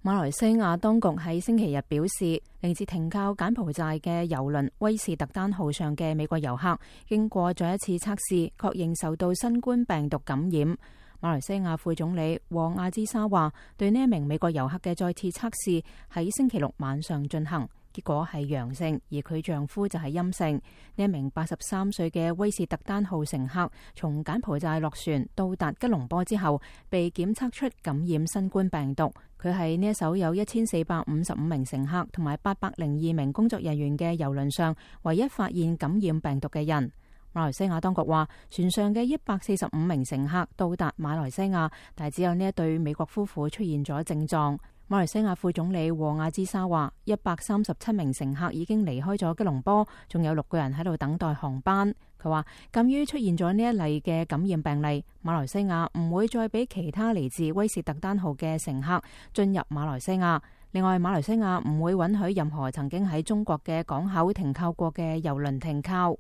馬來西亞當局喺星期日表示，嚟自停靠柬埔寨嘅郵輪威士特丹號上嘅美國遊客，經過再一次測試，確認受到新冠病毒感染。馬來西亞副總理和亞茲莎話，對呢一名美國遊客嘅再次測試喺星期六晚上進行，結果係陽性，而佢丈夫就係陰性。呢一名83歲嘅威士特丹號乘客從柬埔寨落船到達吉隆坡之後，被檢測出感染新冠病毒。佢係呢一艘有1455名乘客同埋802名工作人員嘅郵輪上唯一發現感染病毒嘅人。馬來西亞當局話，船上嘅145名乘客到達馬來西亞，但係只有呢一對美國夫婦出現咗症狀。馬來西亞副總理和亞茲莎話，137名乘客已經離開咗吉隆坡，仲有6個人喺度等待航班。佢話，鑒於出現咗呢一例嘅感染病例，馬來西亞唔會再俾其他嚟自威士特丹號嘅乘客進入馬來西亞。另外，馬來西亞唔會允許任何曾經喺中國嘅港口停靠過嘅郵輪停靠。